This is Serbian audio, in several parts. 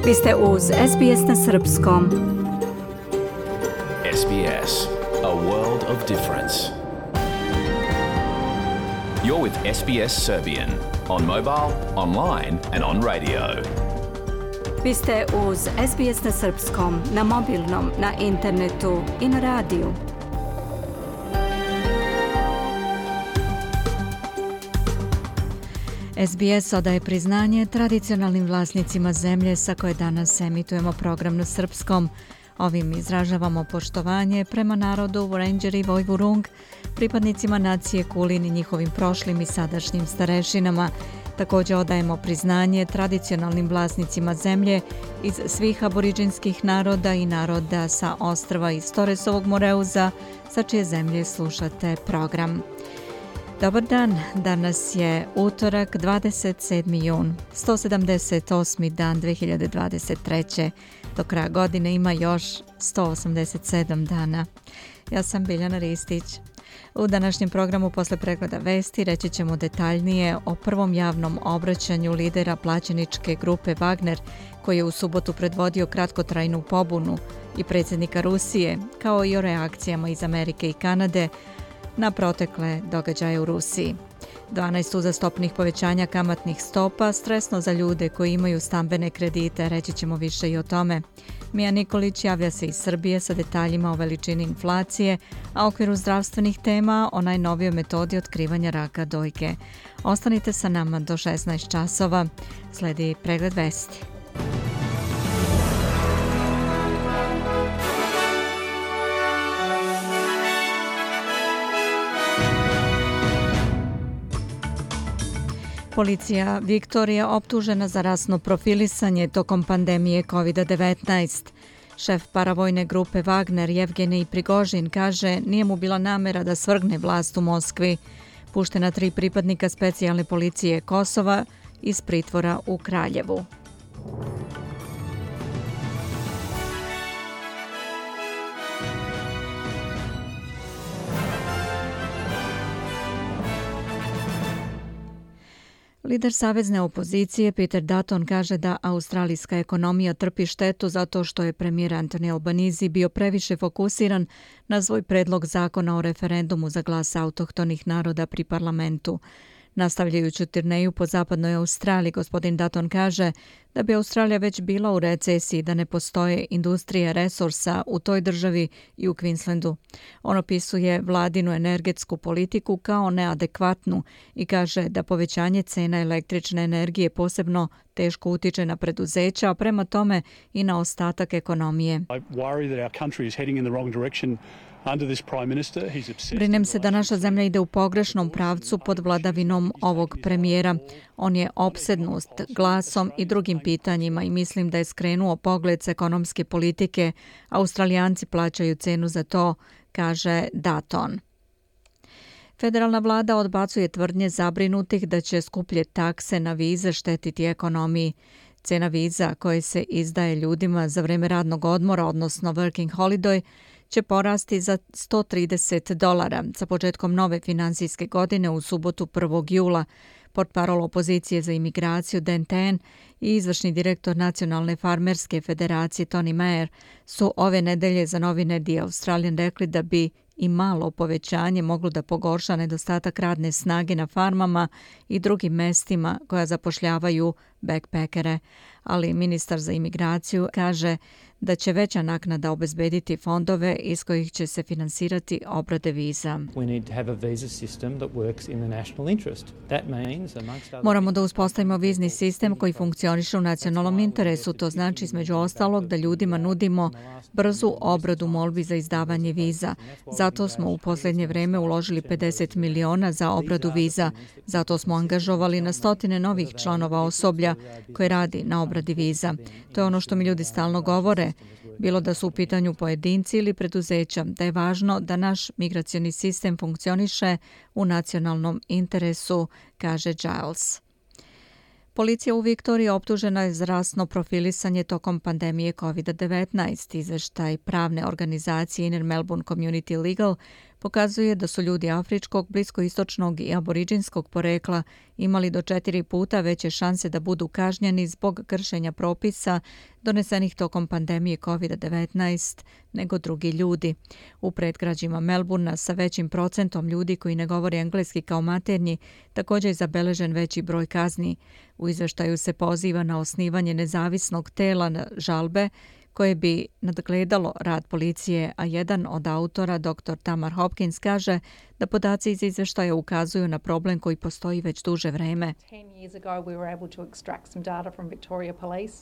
Vi ste uz SBS na srpskom. SBS, a world of difference. You're with SBS Serbian on mobile, online and on radio. Vi ste uz SBS na srpskom, na mobilnom, na internetu i na radiju. SBS odaje priznanje tradicionalnim vlasnicima zemlje sa koje danas emitujemo program na srpskom. Ovim izražavamo poštovanje prema narodu Wurundjeri i Vojvurung, pripadnicima nacije Kulin i njihovim prošlim i sadašnjim starešinama. Također odajemo priznanje tradicionalnim vlasnicima zemlje iz svih aboriđinskih naroda i naroda sa ostrva iz Torresovog Moreuza, sa čije zemlje slušate program. Dobar dan, danas je utorak 27. jun, 178. dan 2023. Do kraja godine ima još 187 dana. Ja sam Biljana Ristić. U današnjem programu posle pregleda vesti reći ćemo detaljnije o prvom javnom obraćanju lidera plaćeničke grupe Wagner, koji je u subotu predvodio kratkotrajnu pobunu, i predsjednika Rusije, kao i o reakcijama iz Amerike i Kanade na protekle događaje u Rusiji. 12 uzastopnih povećanja kamatnih stopa, stresno za ljude koji imaju stambene kredite, reći ćemo više i o tome. Mija Nikolić javlja se iz Srbije sa detaljima o veličini inflacije, a u okviru zdravstvenih tema o najnovijoj metodi otkrivanja raka dojke. Ostanite sa nama do 16 časova. Sledi pregled vesti. Policija Viktorija optužena za rasno profilisanje tokom pandemije COVID-19. Šef paravojne grupe Wagner Jevgenij Prigožin kaže nije mu bila namera da svrgne vlast u Moskvi. Puštena 3 pripadnika specijalne policije Kosova iz pritvora u Kraljevu. Lider savezne opozicije Peter Dutton kaže da australijska ekonomija trpi štetu zato što je premijer Anthony Albanese bio previše fokusiran na svoj predlog zakona o referendumu za glas autohtonih naroda pri parlamentu. Nastavljajući turneju po zapadnoj Australiji, gospodin Dutton kaže da bi Australija već bila u recesiji, da ne postoje industrije resursa u toj državi i u Queenslandu. On opisuje vladinu energetsku politiku kao neadekvatnu i kaže da povećanje cena električne energije posebno teško utiče na preduzeća, a prema tome i na ostatak ekonomije. Brinem se da naša zemlja ide u pogrešnom pravcu pod vladavinom ovog premijera. On je opsednut glasom i drugim pitanjima i mislim da je skrenuo pogled s ekonomske politike. Australijanci plaćaju cenu za to, kaže Dutton. Federalna vlada odbacuje tvrdnje zabrinutih da će skuplje takse na vize štetiti ekonomiji. Cena viza koje se izdaje ljudima za vreme radnog odmora, odnosno working holiday, će porasti za $130 sa početkom nove finansijske godine u subotu 1. jula. Portparol opozicije za imigraciju Dan Tehan i izvršni direktor Nacionalne farmerske federacije Tony Mayer su ove nedelje za novine The Australian rekli da bi i malo povećanje moglo da pogorša nedostatak radne snage na farmama i drugim mestima koja zapošljavaju backpackere, ali ministar za imigraciju kaže da će veća naknada obezbediti fondove iz kojih će se finansirati obrade viza. Moramo da uspostavimo vizni sistem koji funkcioniše u nacionalnom interesu. To znači između ostalog da ljudima nudimo brzu obradu molbi za izdavanje viza. Zato smo u posljednje vreme uložili 50 miliona za obradu viza. Zato smo angažovali na stotine novih članova osoblja koji radi na obradi viza. To je ono što mi ljudi stalno govore. Bilo da su u pitanju pojedinci ili preduzeća, da je važno da naš migracioni sistem funkcioniše u nacionalnom interesu, kaže Giles. Policija u Viktoriji optužena je za rasno profilisanje tokom pandemije COVID-19. Izveštaj pravne organizacije Inner Melbourne Community Legal pokazuje da su ljudi afričkog, bliskoistočnog i aboriđinskog porekla imali do 4 puta veće šanse da budu kažnjeni zbog kršenja propisa donesenih tokom pandemije COVID-19 nego drugi ljudi. U predgrađima Melbourna sa većim procentom ljudi koji ne govore engleski kao maternji također je zabeležen veći broj kazni. U izveštaju se poziva na osnivanje nezavisnog tela na žalbe koje bi nadgledalo rad policije, a jedan od autora, dr. Tamar Hopkins, kaže da podaci iz izveštaja ukazuju na problem koji postoji već duže vreme. 10 years ago we were able to extract some data from Victoria Police.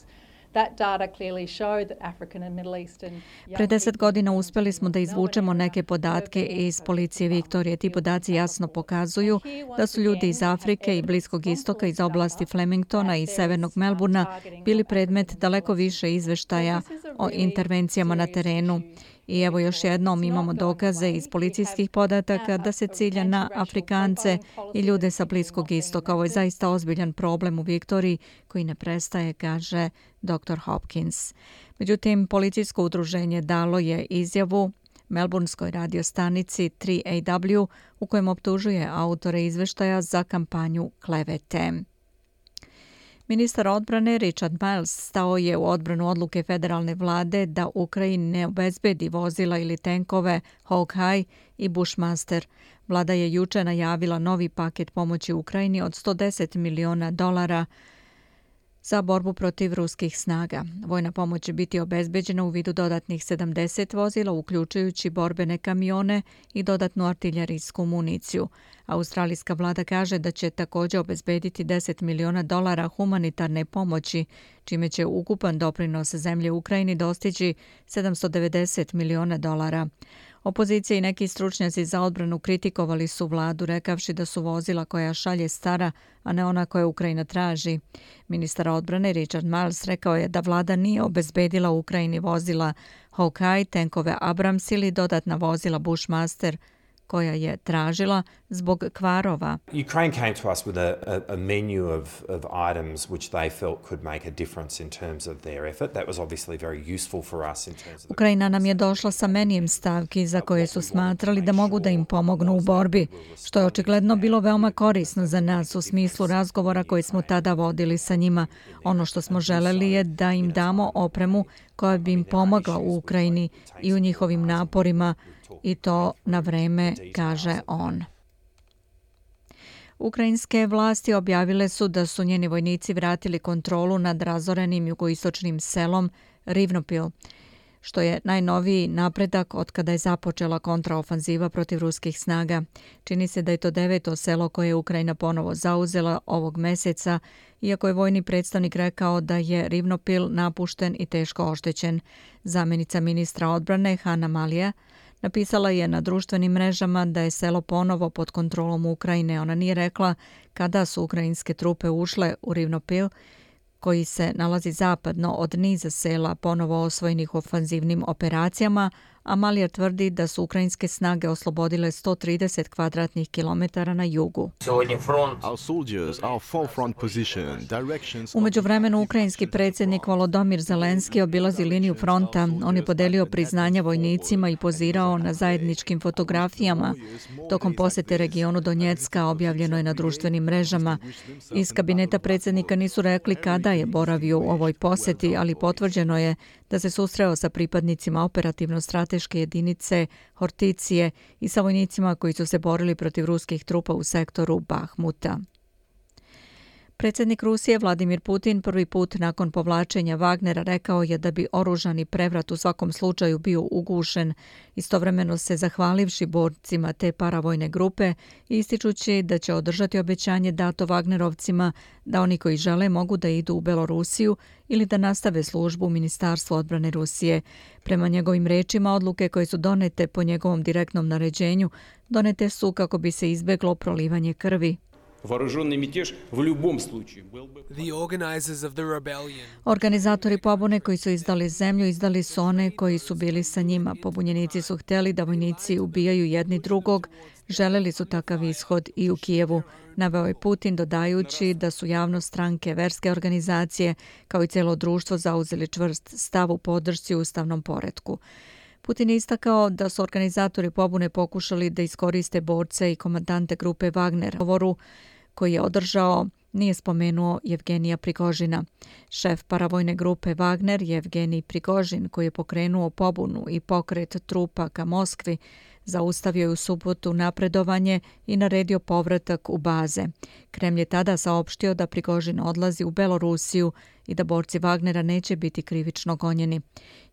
Pre 10 godina uspjeli smo da izvučemo neke podatke iz policije Viktorije. Ti podaci jasno pokazuju da su ljudi iz Afrike i Bliskog istoka iz oblasti Flemingtona i severnog Melbourna bili predmet daleko više izveštaja o intervencijama na terenu. I evo još jednom imamo dokaze iz policijskih podataka da se cilja na Afrikance i ljude sa Bliskog istoka. Ovo je zaista ozbiljan problem u Viktoriji koji ne prestaje, kaže dr. Hopkins. Međutim, policijsko udruženje dalo je izjavu melbournskoj radiostanici 3AW u kojem optužuje autore izveštaja za kampanju klevete. Ministar odbrane Richard Miles stao je u odbranu odluke federalne vlade da Ukrajini ne obezbedi vozila ili tenkove Hawkeye i Bushmaster. Vlada je juče najavila novi paket pomoći Ukrajini od $110 miliona za borbu protiv ruskih snaga. Vojna pomoć će biti obezbeđena u vidu dodatnih 70 vozila, uključujući borbene kamione i dodatnu artiljerijsku municiju. Australijska vlada kaže da će također obezbediti $10 miliona humanitarne pomoći, čime će ukupan doprinos zemlje Ukrajini dostići $790 miliona. Opozicija i neki stručnjaci za odbranu kritikovali su vladu, rekavši da su vozila koja šalje stara, a ne ona koja Ukrajina traži. Ministar odbrane Richard Miles rekao je da vlada nije obezbedila Ukrajini vozila Hawkeye, tenkove Abrams ili dodatna vozila Bushmaster koja je tražila zbog kvarova. Ukraine came to us with a menu of items which they felt could make a difference in terms of their effort. That was obviously very useful for us in terms of Ukrajina nam je došla sa menijem stavki za koje su smatrali da mogu da im pomognu u borbi, što je očigledno bilo veoma korisno za nas u smislu razgovora koje smo tada vodili sa njima. Ono što smo želeli je da im damo opremu koja bi im pomogla u Ukrajini i u njihovim naporima, i to na vreme, kaže on. Ukrajinske vlasti objavile su da su njeni vojnici vratili kontrolu nad razorenim jugoistočnim selom Rivnopil, što je najnoviji napredak od kada je započela kontraofanziva protiv ruskih snaga. Čini se da je to 9. selo koje je Ukrajina ponovo zauzela ovog meseca, iako je vojni predstavnik rekao da je Rivnopil napušten i teško oštećen. Zamjenica ministra odbrane Hanna Malija napisala je na društvenim mrežama da je selo ponovo pod kontrolom Ukrajine. Ona nije rekla kada su ukrajinske trupe ušle u Rivnopil, koji se nalazi zapadno od niza sela ponovo osvojenih ofanzivnim operacijama, a Malija tvrdi da su ukrajinske snage oslobodile 130 kvadratnih kilometara na jugu. U međuvremenu ukrajinski predsjednik Volodymyr Zelenski obilazi liniju fronta. On je podelio priznanja vojnicima i pozirao na zajedničkim fotografijama. Tokom posjete regionu Donjecka objavljeno je na društvenim mrežama. Iz kabineta predsjednika nisu rekli kada je boravio u ovoj posjeti, ali potvrđeno je da se susreo sa pripadnicima operativno-strateške jedinice Horticije i sa vojnicima koji su se borili protiv ruskih trupa u sektoru Bahmuta. Predsjednik Rusije Vladimir Putin prvi put nakon povlačenja Wagnera rekao je da bi oružani prevrat u svakom slučaju bio ugušen, istovremeno se zahvalivši borcima te paravojne grupe i ističući da će održati obećanje dato Wagnerovcima da oni koji žele mogu da idu u Belorusiju ili da nastave službu u Ministarstvu odbrane Rusije. Prema njegovim rečima, odluke koje su donete po njegovom direktnom naređenju donete su kako bi se izbeglo prolivanje krvi. Organizatori pobune koji su izdali zemlju izdali su one koji su bili sa njima. Pobunjenici su htjeli da vojnici ubijaju jedni drugog, želeli su takav ishod i u Kijevu, naveo je Putin dodajući da su javnost, stranke, verske organizacije kao i cijelo društvo zauzeli čvrst stav u podršci ustavnom poretku. Putin je istakao da su organizatori pobune pokušali da iskoriste borce i komandante grupe Wagner. Govoru koji je održao nije spomenuo Jevgenija Prigožina. Šef paravojne grupe Wagner, Jevgenij Prigožin, koji je pokrenuo pobunu i pokret trupa ka Moskvi, zaustavio je u subotu napredovanje i naredio povratak u baze. Kremlj je tada saopštio da Prigožin odlazi u Belorusiju i da borci Wagnera neće biti krivično gonjeni.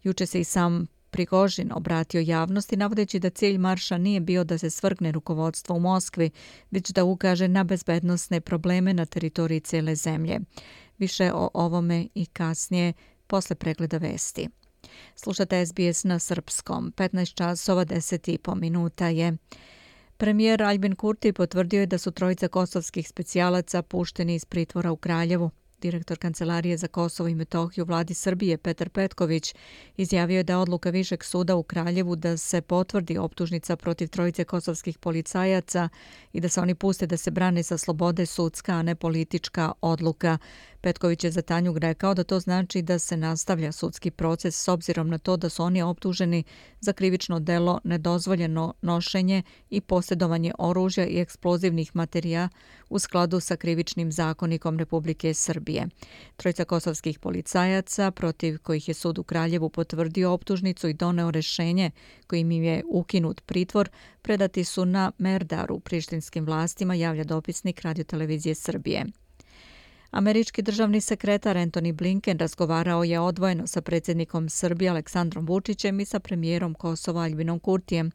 Juče se i sam Prigožin obratio javnosti navodeći da cilj marša nije bio da se svrgne rukovodstvo u Moskvi, već da ukaže na bezbednosne probleme na teritoriji cele zemlje. Više o ovome i kasnije posle pregleda vesti. Slušate SBS na srpskom. 15 časova 10,5 minuta je. Premijer Aljbin Kurti potvrdio je da su trojica kosovskih specijalaca pušteni iz pritvora u Kraljevu. Direktor Kancelarije za Kosovo i Metohiju vladi Srbije Petar Petković izjavio je da odluka Višeg suda u Kraljevu da se potvrdi optužnica protiv trojice kosovskih policajaca i da se oni puste da se brane sa slobode sudska, a ne politička odluka. Petković je za Tanjug rekao da to znači da se nastavlja sudski proces s obzirom na to da su oni optuženi za krivično delo nedozvoljeno nošenje i posjedovanje oružja i eksplozivnih materija u skladu sa krivičnim zakonikom Republike Srbije. Trojica kosovskih policajaca, protiv kojih je sud u Kraljevu potvrdio optužnicu i doneo rešenje kojim im je ukinut pritvor, predati su na Merdaru prištinskim vlastima, javlja dopisnik Radio-televizije Srbije. Američki državni sekretar Antony Blinken razgovarao je odvojeno sa predsjednikom Srbije Aleksandrom Vučićem i sa premijerom Kosova Aljbinom Kurtijem.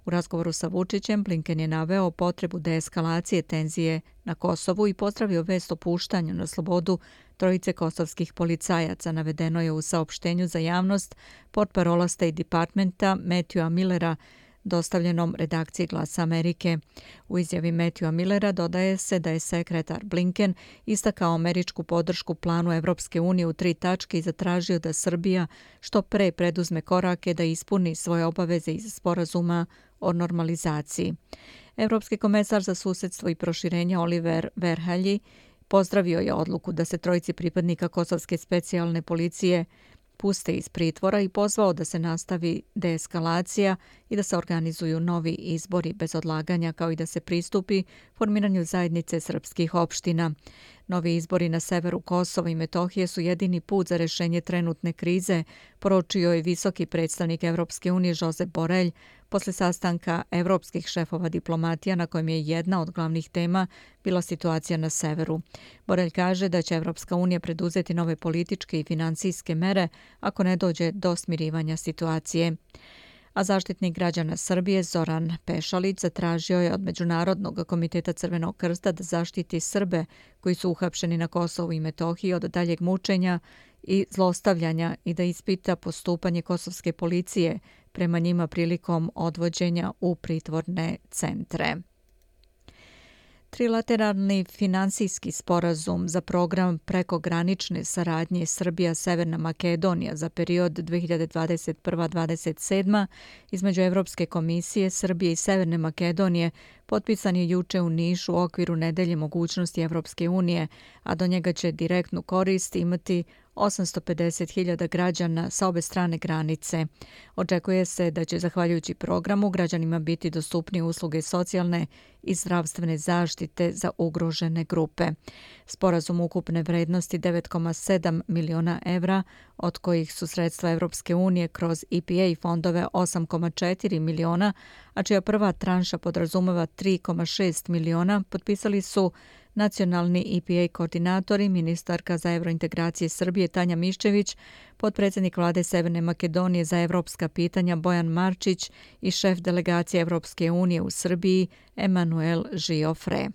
U razgovoru sa Vučićem Blinken je naveo potrebu deeskalacije tenzije na Kosovu i pozdravio vest o puštanju na slobodu trojice kosovskih policajaca, navedeno je u saopštenju za javnost portparola State Departmenta Matthewa Millera, dostavljenom redakciji Glasa Amerike. U izjavi Matthewa Millera dodaje se da je sekretar Blinken istakao američku podršku planu Evropske unije u 3 tačke i zatražio da Srbija što pre preduzme korake da ispuni svoje obaveze iz sporazuma o normalizaciji. Evropski komesar za susedstvo i proširenje Oliver Verhelyi pozdravio je odluku da se trojici pripadnika kosovske specijalne policije puste iz pritvora i pozvao da se nastavi deeskalacija i da se organizuju novi izbori bez odlaganja, kao i da se pristupi formiranju zajednice srpskih opština. Novi izbori na severu Kosova i Metohije su jedini put za rešenje trenutne krize, poručio je visoki predstavnik Evropske unije Josep Borrell posle sastanka evropskih šefova diplomatija na kojem je jedna od glavnih tema bila situacija na severu. Borrell kaže da će Evropska unija preduzeti nove političke i finansijske mere ako ne dođe do smirivanja situacije. A zaštitnik građana Srbije Zoran Pešalić zatražio je od Međunarodnog komiteta Crvenog krsta da zaštiti Srbe koji su uhapšeni na Kosovu i Metohiji od daljeg mučenja i zlostavljanja i da ispita postupanje kosovske policije prema njima prilikom odvođenja u pritvorne centre. Trilateralni finansijski sporazum za program prekogranične saradnje Srbija-Severna Makedonija za period 2021-2027 između Evropske komisije, Srbije i Severne Makedonije potpisan je juče u Nišu u okviru nedelje mogućnosti Evropske unije, a do njega će direktnu korist imati 850.000 građana sa obe strane granice. Očekuje se da će, zahvaljujući programu, građanima biti dostupnije usluge socijalne i zdravstvene zaštite za ugrožene grupe. Sporazum ukupne vrednosti 9,7 miliona evra, od kojih su sredstva Evropske unije kroz EPA fondove 8,4 miliona, a čija prva tranša podrazumeva 3,6 miliona, potpisali su nacionalni EPA koordinatori, ministarka za evrointegracije Srbije Tanja Miščević, potpredsjednik vlade Severne Makedonije za evropska pitanja Bojan Marčić i šef delegacije Evropske unije u Srbiji Emanuel Žiofre.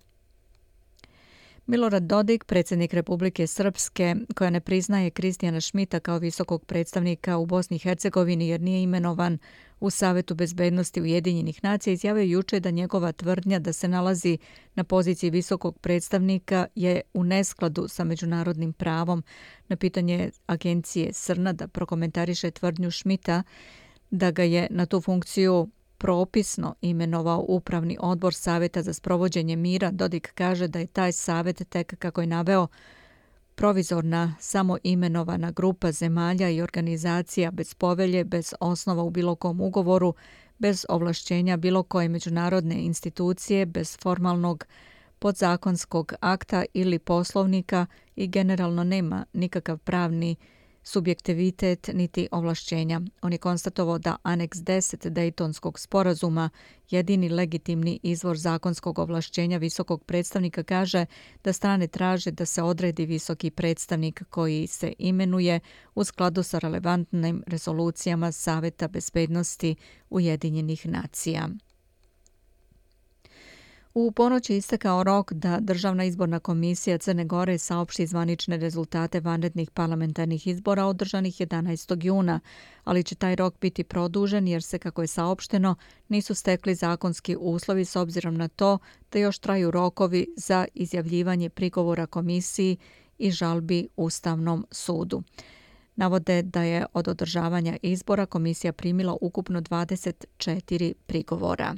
Milorad Dodik, predsjednik Republike Srpske, koja ne priznaje Kristijana Šmita kao visokog predstavnika u Bosni i Hercegovini jer nije imenovan u Savetu bezbednosti Ujedinjenih nacija, izjavio juče da njegova tvrdnja da se nalazi na poziciji visokog predstavnika je u neskladu sa međunarodnim pravom. Na pitanje agencije Srna da prokomentariše tvrdnju Šmita da ga je na tu funkciju propisno imenovao Upravni odbor Saveta za sprovođenje mira, Dodik kaže da je taj savet tek, kako je naveo, provizorna, samoimenovana grupa zemalja i organizacija bez povelje, bez osnova u bilo kom ugovoru, bez ovlašćenja bilo koje međunarodne institucije, bez formalnog podzakonskog akta ili poslovnika i generalno nema nikakav pravni subjektivitet niti ovlašćenja. On je konstatovao da Aneks 10 Dejtonskog sporazuma, jedini legitimni izvor zakonskog ovlašćenja visokog predstavnika, kaže da strane traže da se odredi visoki predstavnik koji se imenuje u skladu sa relevantnim rezolucijama Saveta bezbednosti Ujedinjenih nacija. U ponoć je istekao rok da Državna izborna komisija Crne Gore saopšti zvanične rezultate vanrednih parlamentarnih izbora održanih 11. juna, ali će taj rok biti produžen jer se, kako je saopšteno, nisu stekli zakonski uslovi s obzirom na to da još traju rokovi za izjavljivanje prigovora komisiji i žalbi Ustavnom sudu. Navode da je od održavanja izbora komisija primila ukupno 24 prigovora.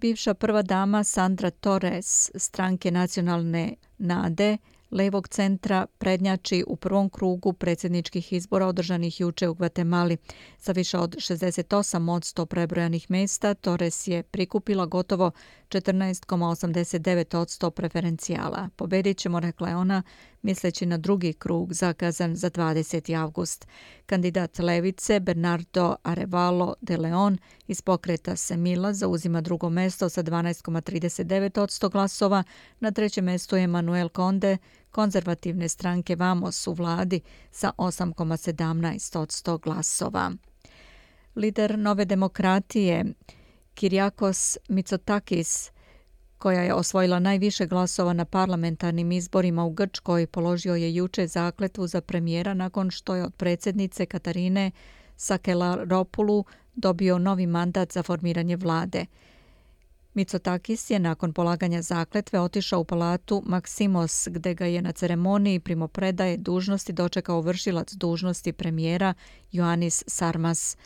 Bivša prva dama Sandra Torres, stranke Nacionalne nade, levog centra, prednjači u prvom krugu predsjedničkih izbora održanih juče u Gvatemali. Sa više od 68% prebrojanih mjesta, Torres je prikupila gotovo 14,89% preferencijala. Pobedit ćemo, rekla je ona, misleći na drugi krug zakazan za 20. avgust. Kandidat levice Bernardo Arevalo de Leon iz pokreta Semilla zauzima drugo mjesto sa 12,39% glasova. Na trećem mjestu je Manuel Conde, konzervativne stranke Vamos u vladi sa 8,17% glasova. Lider Nove demokratije Kyriakos Mitsotakis, koja je osvojila najviše glasova na parlamentarnim izborima u Grčkoj, položio je juče zakletvu za premijera nakon što je od predsjednice Katarine Sakelaropoulou dobio novi mandat za formiranje vlade. Mitsotakis je nakon polaganja zakletve otišao u palatu Maksimos, gde ga je na ceremoniji primopredaje dužnosti dočekao vršilac dužnosti premijera Ioannis Sarmas.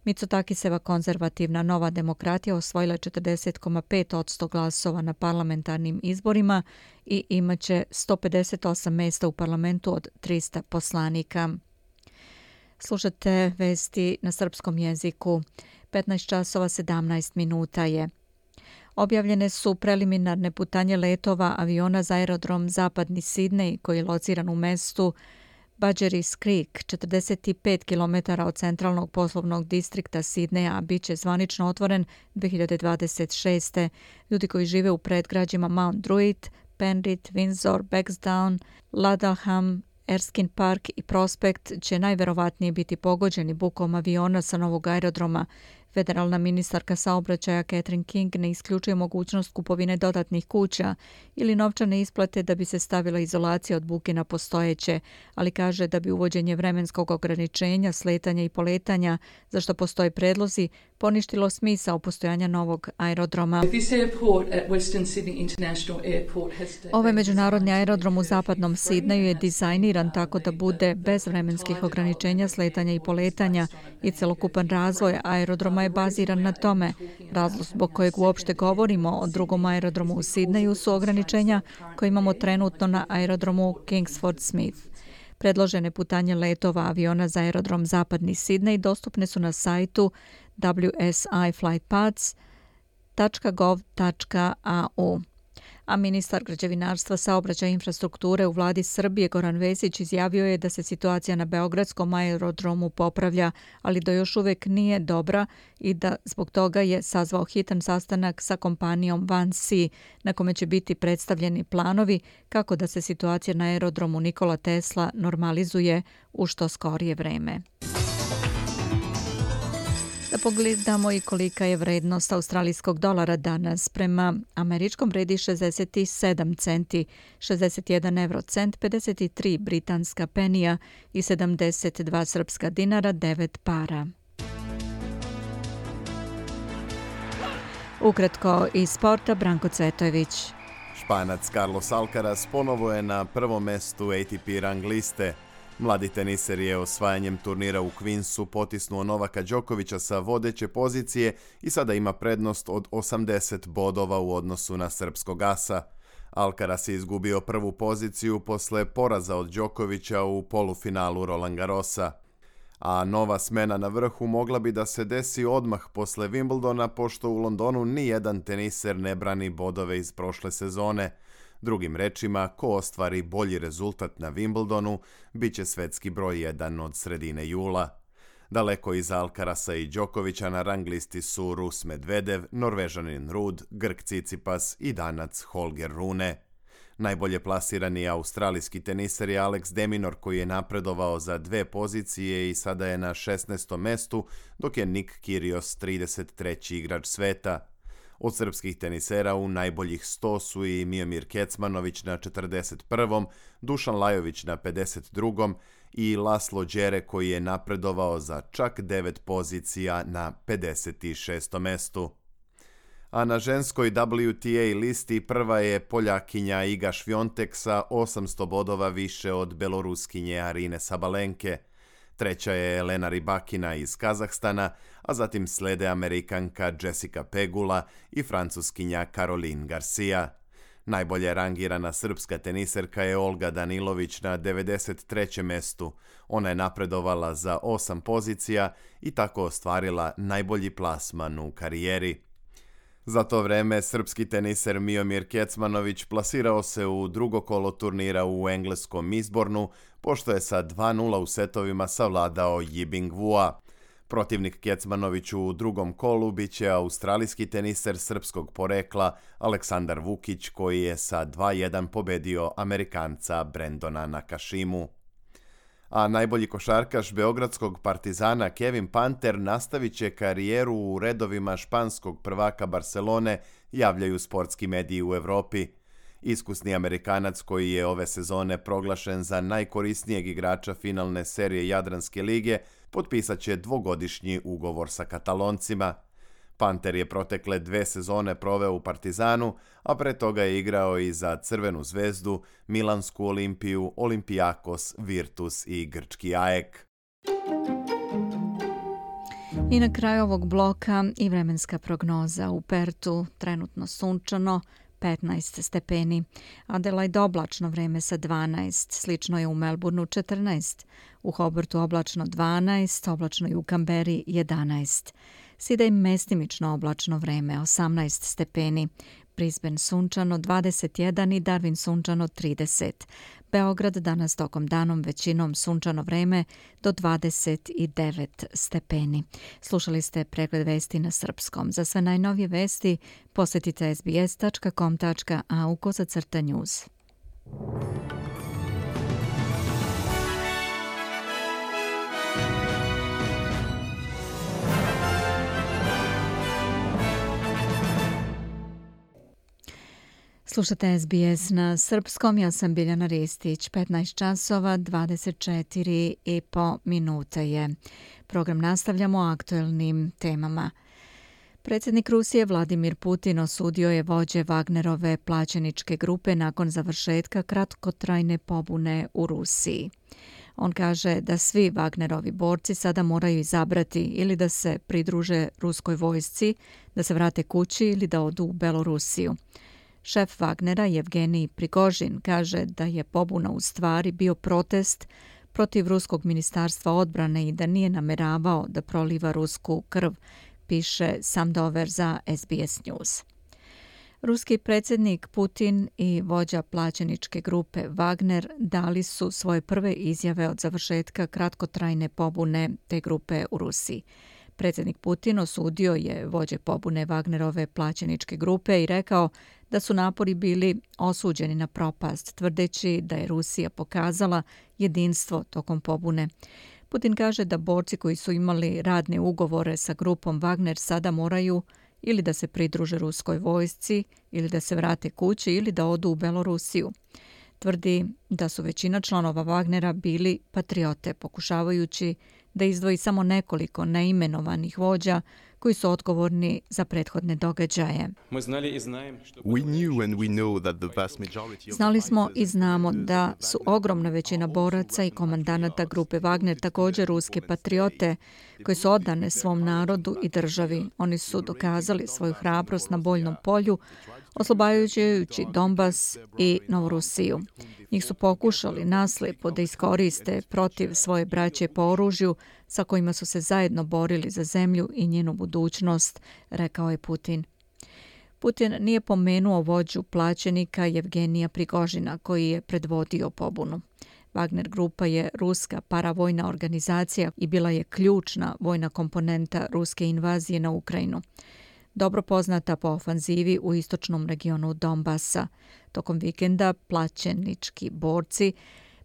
Mitsotakiseva konzervativna Nova demokratija osvojila 40,5% glasova na parlamentarnim izborima i imaće 158 mjesta u parlamentu od 300 poslanika. Slušate vesti na srpskom jeziku. 15 časova 17 minuta je. Objavljene su preliminarne putanje letova aviona za aerodrom Zapadni Sidnej, koji je lociran u mestu Badgerys Creek, 45 km od centralnog poslovnog distrikta Sidneja, bit će zvanično otvoren 2026. Ljudi koji žive u predgrađima Mount Druitt, Penrith, Windsor, Bagsdown, Ladelham, Erskine Park i Prospect će najverovatnije biti pogođeni bukom aviona sa novog aerodroma. Federalna ministarka saobraćaja Catherine King ne isključuje mogućnost kupovine dodatnih kuća ili novčane isplate da bi se stavila izolacija od buke na postojeće, ali kaže da bi uvođenje vremenskog ograničenja, sletanja i poletanja, za što postoje predlozi, poništilo smisao postojanja novog aerodroma. Ovaj međunarodni aerodrom u zapadnom Sidneju je dizajniran tako da bude bez vremenskih ograničenja, sletanja i poletanja i celokupan razvoj aerodroma je baziran na tome. Razlog zbog kojeg uopšte govorimo o drugom aerodromu u Sidneju su ograničenja koje imamo trenutno na aerodromu Kingsford Smith. Predložene putanje letova aviona za aerodrom Zapadni Sidnej dostupne su na sajtu wsiflightpaths.gov.au. A ministar građevinarstva, saobraćaja i infrastrukture u vladi Srbije Goran Vesić izjavio je da se situacija na beogradskom aerodromu popravlja, ali da još uvek nije dobra i da zbog toga je sazvao hitan sastanak sa kompanijom Vansi, na kome će biti predstavljeni planovi kako da se situacija na aerodromu Nikola Tesla normalizuje u što skorije vreme. Da pogledamo i kolika je vrednost australijskog dolara danas. Prema američkom vredi 67 centi, 61 eurocent, 53 britanska penija i 72 srpska dinara, 9 para. Ukratko iz sporta, Branko Cvetojević. Španac Carlos Alcaraz ponovo je na prvom mestu ATP rang liste. Mladi teniser je osvajanjem turnira u Queensu potisnuo Novaka Đokovića sa vodeće pozicije i sada ima prednost od 80 bodova u odnosu na srpskog asa. Alcaraz je izgubio prvu poziciju posle poraza od Đokovića u polufinalu Roland Garrosa. A nova smena na vrhu mogla bi da se desi odmah posle Wimbledona, pošto u Londonu ni jedan teniser ne brani bodove iz prošle sezone. Drugim rečima, ko ostvari bolji rezultat na Wimbledonu, bit će svetski broj 1 od sredine jula. Daleko iza Alcarasa i Đokovića na rang listi su Rus Medvedev, Norvežanin Ruud, Grk Tsitsipas i Danac Holger Rune. Najbolje plasirani australijski teniser je Alex de Minaur, koji je napredovao za 2 pozicije i sada je na 16. mestu, dok je Nick Kyrgios 33. igrač sveta. Od srpskih tenisera u najboljih 100 su i Miomir Kecmanović na 41., Dušan Lajović na 52. i Laslo Đere, koji je napredovao za čak 9 pozicija na 56. mestu. A na ženskoj WTA listi prva je Poljakinja Iga Švjontek sa 800 bodova više od Beloruskinje Arine Sabalenke. Treća je Elena Rybakina iz Kazahstana, a zatim slede Amerikanka Jessica Pegula i Francuskinja Caroline Garcia. Najbolje rangirana srpska teniserka je Olga Danilović na 93. mestu. Ona je napredovala za 8 pozicija i tako ostvarila najbolji plasman u karijeri. Za to vreme srpski teniser Miomir Kecmanović plasirao se u drugo kolo turnira u engleskom Eastbournu, pošto je sa 2:0 u setovima savladao Yibing Wua. Protivnik Kecmanoviću u drugom kolu biće australijski teniser srpskog porekla Aleksandar Vukić, koji je sa 2:1 pobedio Amerikanca Brendona Nakashimu. A najbolji košarkaš beogradskog Partizana Kevin Panter nastavit će karijeru u redovima španskog prvaka Barcelone, javljaju sportski mediji u Evropi. Iskusni Amerikanac, koji je ove sezone proglašen za najkorisnijeg igrača finalne serije Jadranske lige, potpisat će 2-godišnji ugovor sa Kataloncima. Panter je protekle 2 sezone proveo u Partizanu, a pre toga je igrao i za Crvenu zvezdu, Milansku Olimpiju, Olympiakos, Virtus i grčki AEK. I na kraju ovog bloka i vremenska prognoza. U Pertu trenutno sunčano, 15 stepeni. Adelaide oblačno vreme sa 12, slično je u Melbourneu 14, u Hobartu oblačno 12, oblačno i u Kamberi 11. Sydney mestimično oblačno vreme 18 stepeni, Brisbane sunčano 21 i Darwin sunčano 30. Beograd danas tokom danom većinom sunčano vreme do 29 stepeni. Slušali ste pregled vesti na srpskom. Za sve najnovije vesti posjetite sbs.com.au/news. Slušate SBS na srpskom, ja sam Biljana Ristić, 15 časova, 24,5 minuta je. Program nastavljamo aktuelnim temama. Predsjednik Rusije Vladimir Putin osudio je vođe Wagnerove plaćeničke grupe nakon završetka kratkotrajne pobune u Rusiji. On kaže da svi Wagnerovi borci sada moraju izabrati ili da se pridruže ruskoj vojsci, da se vrate kući ili da odu u Belorusiju. Šef Wagnera Yevgenij Prigožin kaže da je pobuna u stvari bio protest protiv ruskog ministarstva odbrane i da nije nameravao da proliva rusku krv, piše Sam Dover za SBS News. Ruski predsjednik Putin i vođa plaćeničke grupe Wagner dali su svoje prve izjave od završetka kratkotrajne pobune te grupe u Rusiji. Predsjednik Putin osudio je vođe pobune Wagnerove plaćeničke grupe i rekao da su napori bili osuđeni na propast, tvrdeći da je Rusija pokazala jedinstvo tokom pobune. Putin kaže da borci koji su imali radne ugovore sa grupom Wagner sada moraju ili da se pridruže ruskoj vojsci, ili da se vrate kući, ili da odu u Belorusiju. Tvrdi da su većina članova Wagnera bili patriote, pokušavajući da izdvoji samo nekoliko neimenovanih vođa koji su odgovorni za prethodne događaje. Znali smo i znamo da su ogromna većina boraca i komandanata grupe Wagner također ruske patriote koji su odane svom narodu i državi. Oni su dokazali svoju hrabrost na bojnom polju, oslobađajući Donbas i Novorusiju. Njih su pokušali naslijepo da iskoriste protiv svoje braće po oružju sa kojima su se zajedno borili za zemlju i njenu budućnost, rekao je Putin. Putin nije pomenuo vođu plaćenika Jevgenija Prigožina koji je predvodio pobunu. Wagner grupa je ruska paravojna organizacija i bila je ključna vojna komponenta ruske invazije na Ukrajinu. Dobro poznata po ofanzivi u istočnom regionu Donbasa. Tokom vikenda plaćenički borci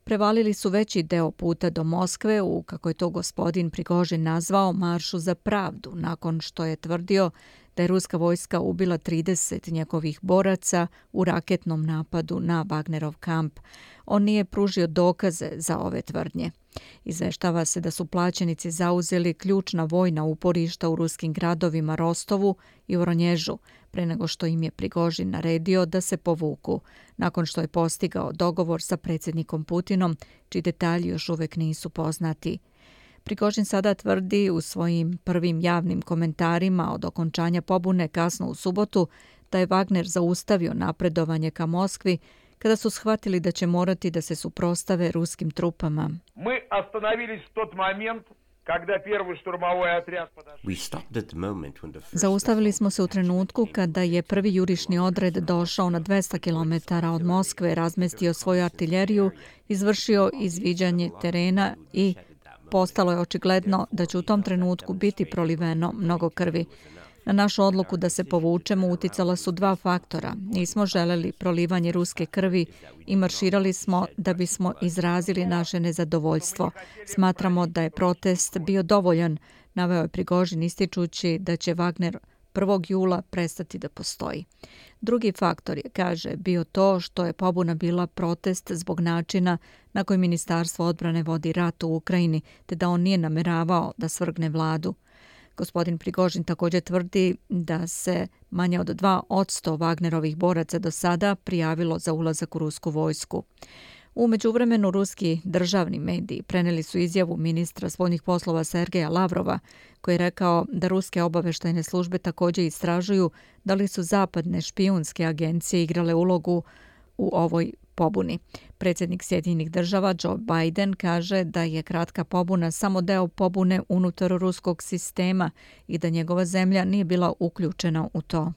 prevalili su veći deo puta do Moskve u, kako je to gospodin Prigožin nazvao, maršu za pravdu, nakon što je tvrdio da je ruska vojska ubila 30 njegovih boraca u raketnom napadu na Wagnerov kamp. On nije pružio dokaze za ove tvrdnje. Izveštava se da su plaćenici zauzeli ključna vojna uporišta u ruskim gradovima Rostovu i Voronježu, pre nego što im je Prigožin naredio da se povuku, nakon što je postigao dogovor sa predsjednikom Putinom, čiji detalji još uvek nisu poznati. Prigožin sada tvrdi u svojim prvim javnim komentarima od okončanja pobune kasno u subotu da je Wagner zaustavio napredovanje ka Moskvi kada su shvatili da će morati da se suprotstave ruskim trupama. Zaustavili smo se u trenutku kada je prvi jurišni odred došao na 200 km od Moskve, razmestio svoju artiljeriju, izvršio izviđanje terena i postalo je očigledno da će u tom trenutku biti proliveno mnogo krvi. Na našu odluku da se povučemo uticala su dva faktora. Nismo želeli prolivanje ruske krvi i marširali smo da bismo izrazili naše nezadovoljstvo. Smatramo da je protest bio dovoljan, naveo je Prigožin ističući da će Wagner 1. jula prestati da postoji. Drugi faktor je, kaže, bio to što je pobuna bila protest zbog načina na koji Ministarstvo odbrane vodi rat u Ukrajini, te da on nije nameravao da svrgne vladu. Gospodin Prigožin također tvrdi da se manje od 2% Wagnerovih boraca do sada prijavilo za ulazak u rusku vojsku. U međuvremenu ruski državni mediji preneli su izjavu ministra spoljnih poslova Sergeja Lavrova, koji je rekao da ruske obavještajne službe također istražuju da li su zapadne špijunske agencije igrale ulogu u ovoj pobuni. Predsjednik Sjedinjenih država Joe Biden kaže da je kratka pobuna samo deo pobune unutar ruskog sistema i da njegova zemlja nije bila uključena u to.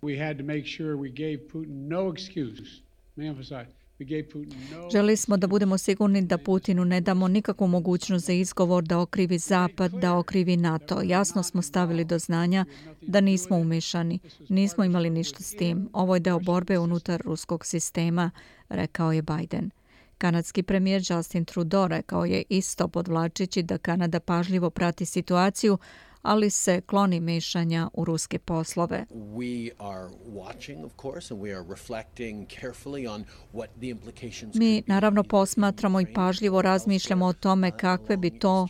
Želili smo da budemo sigurni da Putinu ne damo nikakvu mogućnost za izgovor da okrivi Zapad, da okrivi NATO. Jasno smo stavili do znanja da nismo umešani, nismo imali ništa s tim. Ovo je deo borbe unutar ruskog sistema, rekao je Biden. Kanadski premijer Justin Trudeau rekao je isto podvlačeći da Kanada pažljivo prati situaciju, ali se kloni mešanja u ruske poslove. Mi naravno posmatramo i pažljivo razmišljamo o tome kakve bi to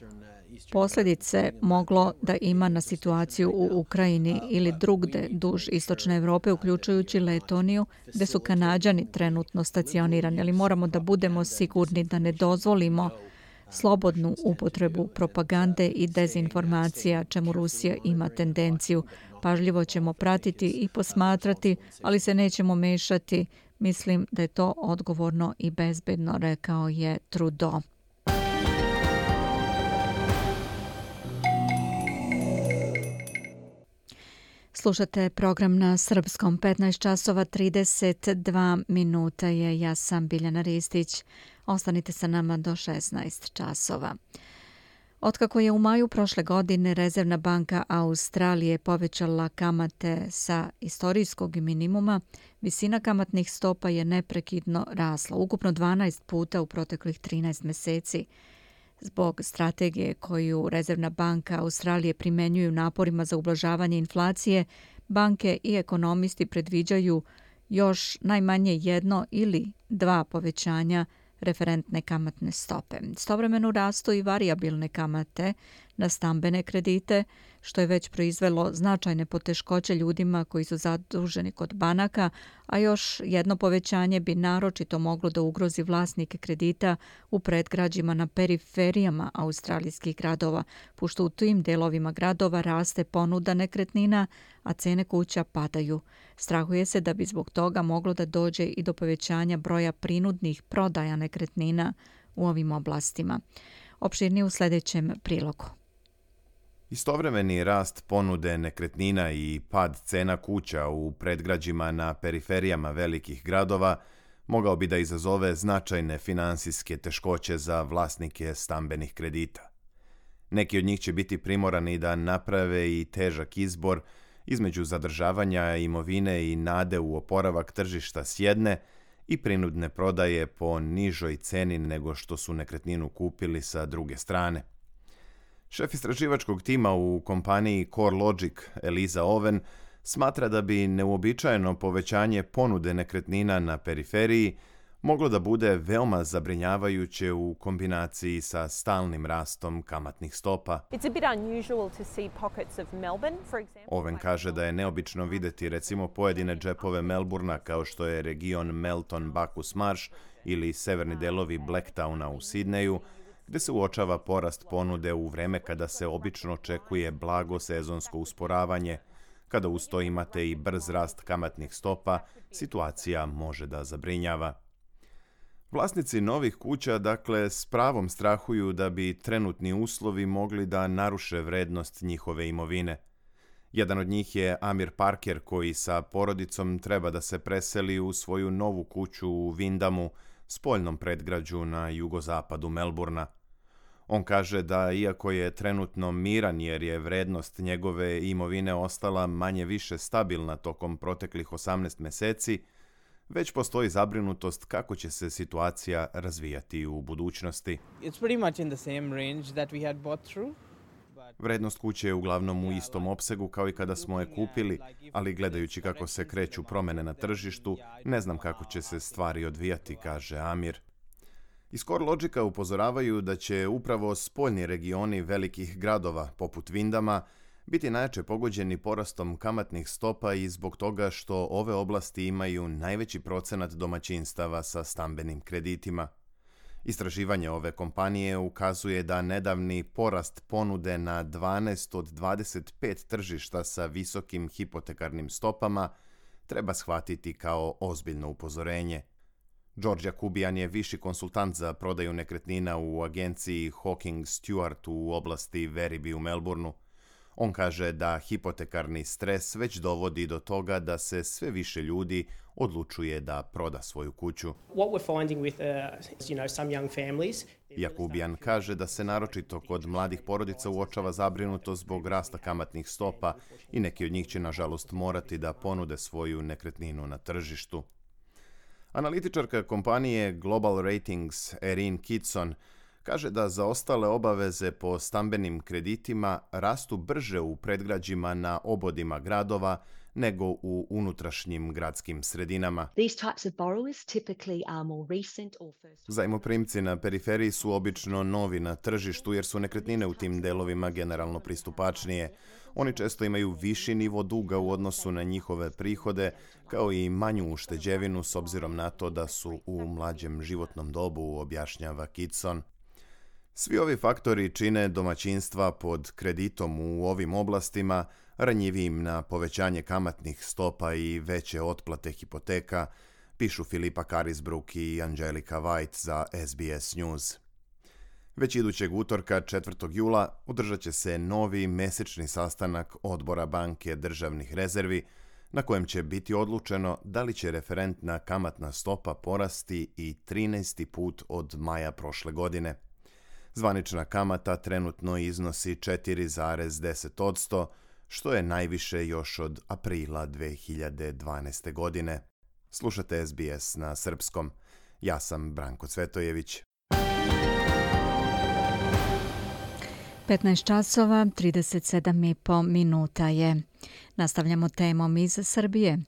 posljedice moglo da ima na situaciju u Ukrajini ili drugde duž istočne Evrope, uključujući Letoniju, gde su Kanađani trenutno stacionirani, ali moramo da budemo sigurni da ne dozvolimo slobodnu upotrebu propagande i dezinformacija, čemu Rusija ima tendenciju. Pažljivo ćemo pratiti i posmatrati, ali se nećemo mešati. Mislim da je to odgovorno i bezbedno, rekao je Trudeau. Slušate program na srpskom. 15 časova 32 minuta je. Ja sam Biljana Ristić. Ostanite sa nama do 16 časova. Otkako je u maju prošle godine Rezervna banka Australije povećala kamate sa istorijskog minimuma, visina kamatnih stopa je neprekidno rasla, ukupno 12 puta u proteklih 13 meseci. Zbog strategije koju Rezervna banka Australije primenjuju naporima za ublažavanje inflacije, banke i ekonomisti predviđaju još najmanje 1 ili 2 povećanja referentne kamatne stope. Istovremeno rastu i varijabilne kamate na stambene kredite, što je već proizvelo značajne poteškoće ljudima koji su zaduženi kod banaka, a još jedno povećanje bi naročito moglo da ugrozi vlasnike kredita u predgrađima na periferijama australijskih gradova, pošto u tim delovima gradova raste ponuda nekretnina, a cene kuća padaju. Strahuje se da bi zbog toga moglo da dođe i do povećanja broja prinudnih prodaja nekretnina u ovim oblastima. Opširnije u sljedećem prilogu. Istovremeni rast ponude nekretnina i pad cena kuća u predgrađima na periferijama velikih gradova mogao bi da izazove značajne finansijske teškoće za vlasnike stambenih kredita. Neki od njih će biti primorani da naprave i težak izbor između zadržavanja imovine i nade u oporavak tržišta s jedne i prinudne prodaje po nižoj ceni nego što su nekretninu kupili sa druge strane. Šef istraživačkog tima u kompaniji CoreLogic, Eliza Owen, smatra da bi neuobičajeno povećanje ponude nekretnina na periferiji moglo da bude veoma zabrinjavajuće u kombinaciji sa stalnim rastom kamatnih stopa. Owen kaže da je neobično videti recimo pojedine džepove Melburna kao što je region Melton Bacchus Marsh ili severni delovi Blacktowna u Sidneju, gde se uočava porast ponude u vreme kada se obično očekuje blago sezonsko usporavanje. Kada uz to imate i brz rast kamatnih stopa, situacija može da zabrinjava. Vlasnici novih kuća, dakle, s pravom strahuju da bi trenutni uslovi mogli da naruše vrednost njihove imovine. Jedan od njih je Amir Parker, koji sa porodicom treba da se preseli u svoju novu kuću u Windamu, spoljnom predgrađu na jugozapadu Melburna. On kaže da iako je trenutno miran jer je vrednost njegove imovine ostala manje više stabilna tokom proteklih 18 meseci, već postoji zabrinutost kako će se situacija razvijati u budućnosti. Vrednost kuće je uglavnom u istom opsegu kao i kada smo je kupili, ali gledajući kako se kreću promene na tržištu, ne znam kako će se stvari odvijati, kaže Amir. Iz CoreLogica upozoravaju da će upravo spoljni regioni velikih gradova, poput Windama, biti najjače pogođeni porastom kamatnih stopa i zbog toga što ove oblasti imaju najveći procenat domaćinstava sa stambenim kreditima. Istraživanje ove kompanije ukazuje da nedavni porast ponude na 12 od 25 tržišta sa visokim hipotekarnim stopama treba shvatiti kao ozbiljno upozorenje. George Jakubian je viši konsultant za prodaju nekretnina u agenciji Hawking Stewart u oblasti Werribee u Melbourneu. On kaže da hipotekarni stres već dovodi do toga da se sve više ljudi odlučuje da proda svoju kuću. Jakubian kaže da se naročito kod mladih porodica uočava zabrinutost zbog rasta kamatnih stopa i neki od njih će nažalost morati da ponude svoju nekretninu na tržištu. Analitičarka kompanije Global Ratings Erin Kitson kaže da zaostale obaveze po stambenim kreditima rastu brže u predgrađima na obodima gradova nego u unutrašnjim gradskim sredinama. Zajmoprimci na periferiji su obično novi na tržištu jer su nekretnine u tim delovima generalno pristupačnije. Oni često imaju viši nivo duga u odnosu na njihove prihode, kao i manju ušteđevinu s obzirom na to da su u mlađem životnom dobu, objašnjava Kitson. Svi ovi faktori čine domaćinstva pod kreditom u ovim oblastima ranjivijim na povećanje kamatnih stopa i veće otplate hipoteka, pišu Filipa Carisbrook i Angelika White za SBS News. Već idućeg utorka 4. jula održat će se novi mesečni sastanak Odbora banke državnih rezervi, na kojem će biti odlučeno da li će referentna kamatna stopa porasti i 13. put od maja prošle godine. Zvanična kamata trenutno iznosi 4,10%, što je najviše još od aprila 2012. godine. Slušate SBS na srpskom. Ja sam Branko Cvetojević. 15 časova, 37,5 minuta je. Nastavljamo temom iz Srbije.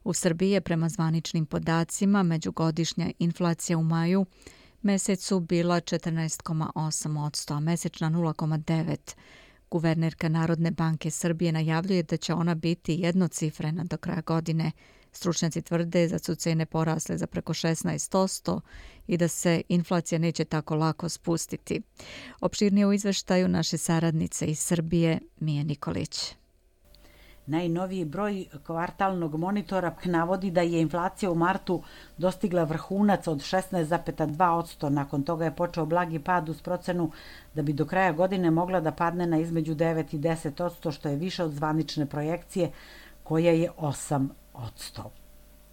U Srbiji je prema zvaničnim podacima međugodišnja inflacija u maju mesecu bila 14,8%, a mesečna 0,9%. Guvernerka Narodne banke Srbije najavljuje da će ona biti jednocifrena do kraja godine. Stručnjaci tvrde da su cene porasle za preko 16% i da se inflacija neće tako lako spustiti. Opširnije u izveštaju naše saradnice iz Srbije, Mija Nikolić. Najnoviji broj kvartalnog monitora navodi da je inflacija u martu dostigla vrhunac od 16,2%. Nakon toga je počeo blagi pad uz procenu da bi do kraja godine mogla da padne na između 9 i 10%, što je više od zvanične projekcije koja je 8%.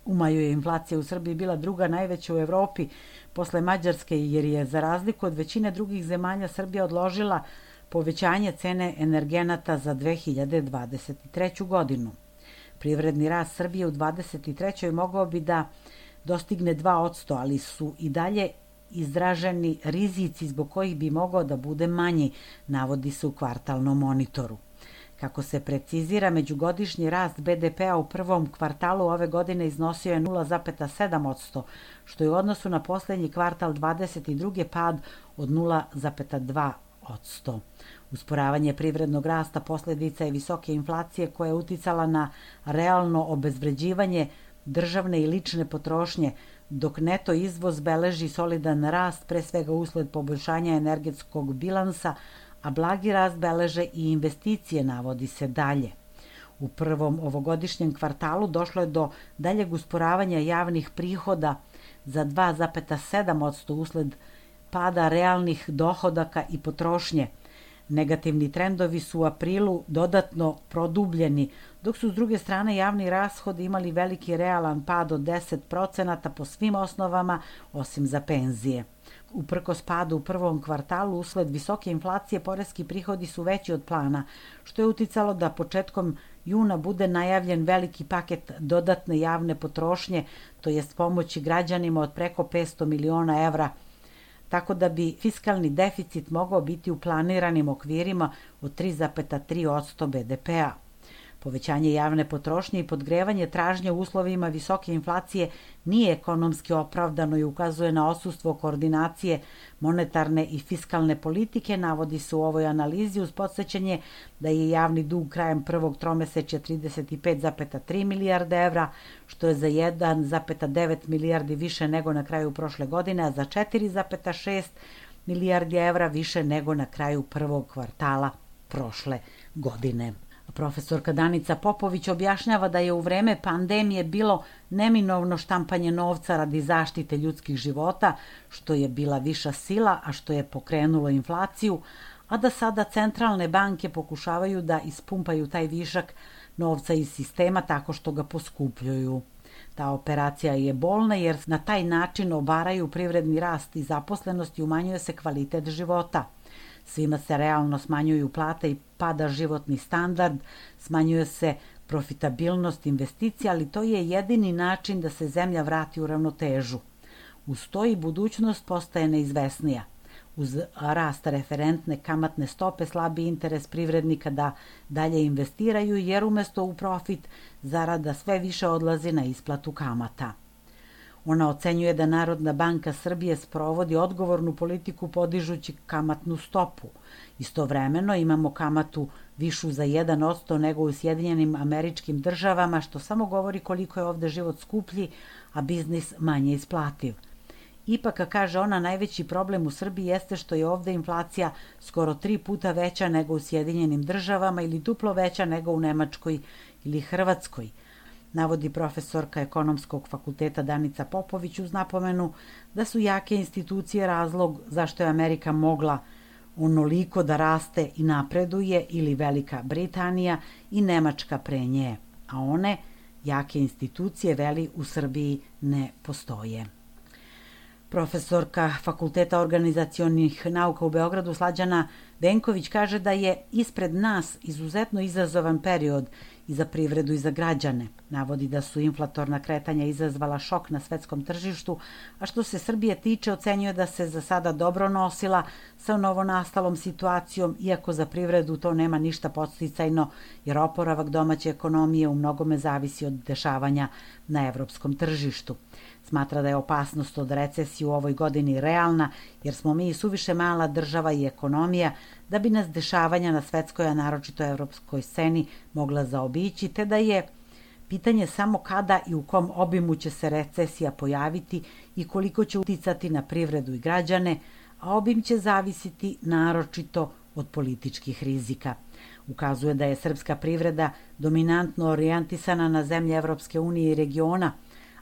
U maju je inflacija u Srbiji bila druga najveća u Evropi posle Mađarske, jer je za razliku od većine drugih zemalja Srbija odložila povećanje cene energenata za 2023. godinu. Privredni rast Srbije u 2023. mogao bi da dostigne 2%, ali su i dalje izraženi rizici zbog kojih bi mogao da bude manji, navodi se u kvartalnom monitoru. Kako se precizira, međugodišnji rast BDP-a u prvom kvartalu ove godine iznosio je 0,7%, što je u odnosu na posljednji kvartal 22. pad od 0,2%. Usporavanje privrednog rasta posljedica je visoke inflacije koja je uticala na realno obezvređivanje državne i lične potrošnje, dok neto izvoz beleži solidan rast, pre svega usled poboljšanja energetskog bilansa, a blagi rast beleže i investicije, navodi se dalje. U prvom ovogodišnjem kvartalu došlo je do daljeg usporavanja javnih prihoda za 2,7% usled pada realnih dohodaka i potrošnje. Negativni trendovi su u aprilu dodatno produbljeni, dok su s druge strane javni rashodi imali veliki realan pad od 10% po svim osnovama, osim za penzije. Uprkos padu u prvom kvartalu usled visoke inflacije, poreski prihodi su veći od plana, što je uticalo da početkom juna bude najavljen veliki paket dodatne javne potrošnje, to jest pomoći građanima od preko 500 miliona evra, tako da bi fiskalni deficit mogao biti u planiranim okvirima od 3,3% BDP-a. Povećanje javne potrošnje i podgrevanje tražnje u uslovima visoke inflacije nije ekonomski opravdano i ukazuje na odsustvo koordinacije monetarne i fiskalne politike, navodi se u ovoj analizi uz podsećanje da je javni dug krajem prvog tromesečja 35,3 milijarde evra, što je za 1,9 milijardi više nego na kraju prošle godine, a za 4,6 milijardi evra više nego na kraju prvog kvartala prošle godine. Profesorka Danica Popović objašnjava da je u vreme pandemije bilo neminovno štampanje novca radi zaštite ljudskih života, što je bila viša sila, a što je pokrenulo inflaciju, a da sada centralne banke pokušavaju da ispumpaju taj višak novca iz sistema tako što ga poskupljuju. Ta operacija je bolna jer na taj način obaraju privredni rast i zaposlenost i umanjuje se kvalitet života. Svima se realno smanjuju plate i pada životni standard, smanjuje se profitabilnost investicija, ali to je jedini način da se zemlja vrati u ravnotežu. Uz to i budućnost postaje neizvesnija. Uz rast referentne kamatne stope slabi interes privrednika da dalje investiraju, jer umesto u profit zarada sve više odlazi na isplatu kamata. Ona ocenjuje da Narodna banka Srbije sprovodi odgovornu politiku podižući kamatnu stopu. Istovremeno imamo kamatu višu za 1% nego u Sjedinjenim Američkim Državama, što samo govori koliko je ovde život skuplji, a biznis manje isplativ. Ipak, kaže ona, najveći problem u Srbiji jeste što je ovde inflacija skoro 3 puta veća nego u Sjedinjenim Državama ili duplo veća nego u Nemačkoj ili Hrvatskoj, navodi profesorka Ekonomskog fakulteta Danica Popović uz napomenu da su jake institucije razlog zašto je Amerika mogla onoliko da raste i napreduje, ili Velika Britanija i Nemačka pre nje, a one, jake institucije, veli, u Srbiji ne postoje. Profesorka Fakulteta organizacionih nauka u Beogradu Slađana Venković kaže da je ispred nas izuzetno izazovan period i za privredu i za građane. Navodi da su inflatorna kretanja izazvala šok na svetskom tržištu, a što se Srbije tiče ocenjuje da se za sada dobro nosila sa novonastalom situacijom, iako za privredu to nema ništa podsticajno, jer oporavak domaće ekonomije u mnogome zavisi od dešavanja na evropskom tržištu. Smatra da je opasnost od recesije u ovoj godini realna, jer smo mi suviše mala država i ekonomija da bi nas dešavanja na svetskoj, a naročito evropskoj sceni mogla zaobići, te da je pitanje samo kada i u kom obimu će se recesija pojaviti i koliko će uticati na privredu i građane, a obim će zavisiti naročito od političkih rizika. Ukazuje da je srpska privreda dominantno orijentisana na zemlje Evropske unije i regiona,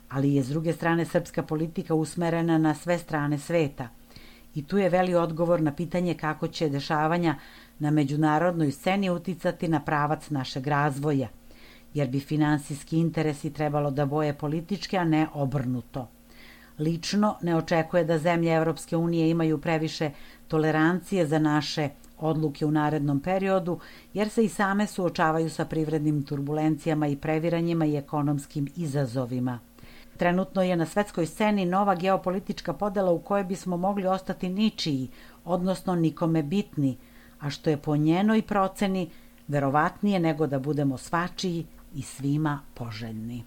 ali je s druge strane srpska politika usmerena na sve strane sveta. I tu je veli odgovor na pitanje kako će dešavanja na međunarodnoj sceni uticati na pravac našeg razvoja, jer bi finansijski interesi trebalo da boje političke, a ne obrnuto. Lično ne očekuje da zemlje Evropske unije imaju previše tolerancije za naše odluke u narednom periodu, jer se i same suočavaju sa privrednim turbulencijama i previranjima i ekonomskim izazovima. Trenutno je na svetskoj sceni nova geopolitička podela u kojoj bismo mogli ostati ničiji, odnosno nikome bitni, a što je po njenoj proceni verovatnije nego da budemo svačiji i svima poželjni.